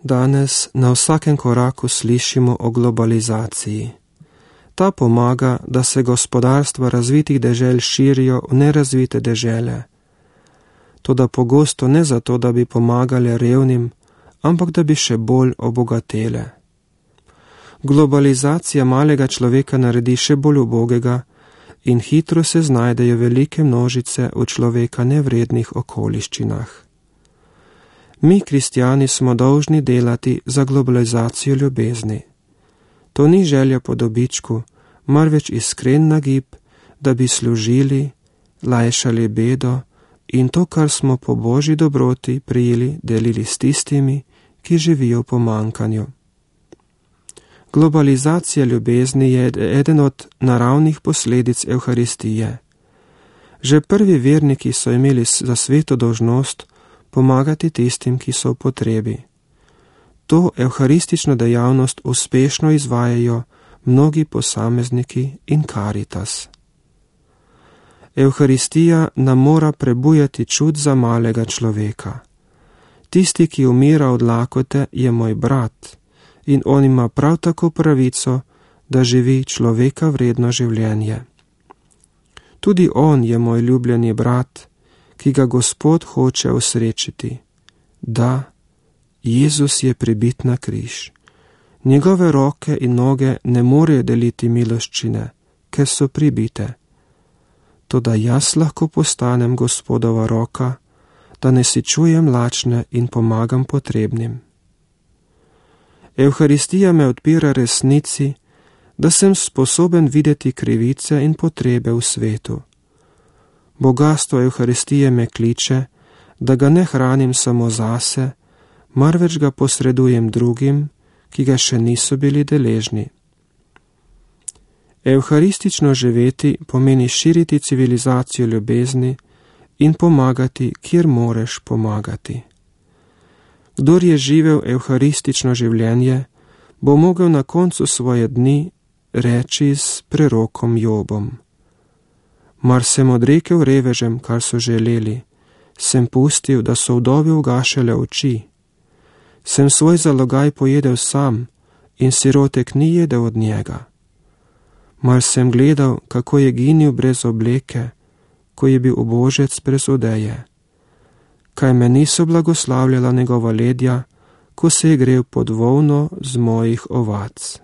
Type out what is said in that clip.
Danes na vsakem koraku slišimo o globalizaciji. Ta pomaga, da se gospodarstva razvitih dežel širijo v nerazvite dežele. Toda pogosto ne zato, da bi pomagale revnim, ampak da bi še bolj obogatele. Globalizacija malega človeka naredi še bolj ubogega in hitro se znajdejo velike množice v človeka nevrednih okoliščinah. Mi, kristjani, smo dolžni delati za globalizacijo ljubezni. To ni želja po dobičku, marveč iskren nagib, da bi služili, lajšali bedo in to, kar smo po Božji dobroti prijeli, delili s tistimi, ki živijo v pomanjkanju. Globalizacija ljubezni je eden od naravnih posledic Evharistije. Že prvi verniki so imeli za sveto dolžnost pomagati tistim, ki so v potrebi. To evharistično dejavnost uspešno izvajajo mnogi posamezniki in Karitas. Evharistija nam mora prebujati čut za malega človeka. Tisti, ki umira od lakote, je moj brat in on ima prav tako pravico, da živi človeka vredno življenje. Tudi on je moj ljubljeni brat, ki ga Gospod hoče osrečiti. Da, Jezus je pribit na križ. Njegove roke in noge ne morejo deliti miloščine, ker so pribite. Toda jaz lahko postanem Gospodova roka, da ne si čujem lačne in pomagam potrebnim. Evharistija me odpira resnici, da sem sposoben videti krivice in potrebe v svetu. Bogastvo Evharistije me kliče, da ga ne hranim samo zase, marveč ga posredujem drugim, ki ga še niso bili deležni. Evharistično živeti pomeni širiti civilizacijo ljubezni in pomagati, kjer moreš pomagati. Kdor je živel evharistično življenje, bo mogel na koncu svoje dni reči s prerokom Jobom. Mar sem odrekel revežem, kar so želeli, sem pustil, da so vdovi ugašale oči, sem svoj zalogaj pojedel sam in sirotek ni jedel od njega. Mar sem gledal, kako je ginil brez obleke, ko je bil ubožec brez odeje. Kaj me niso blagoslavljala njegova ledja, ko se je grel pod volno z mojih ovac.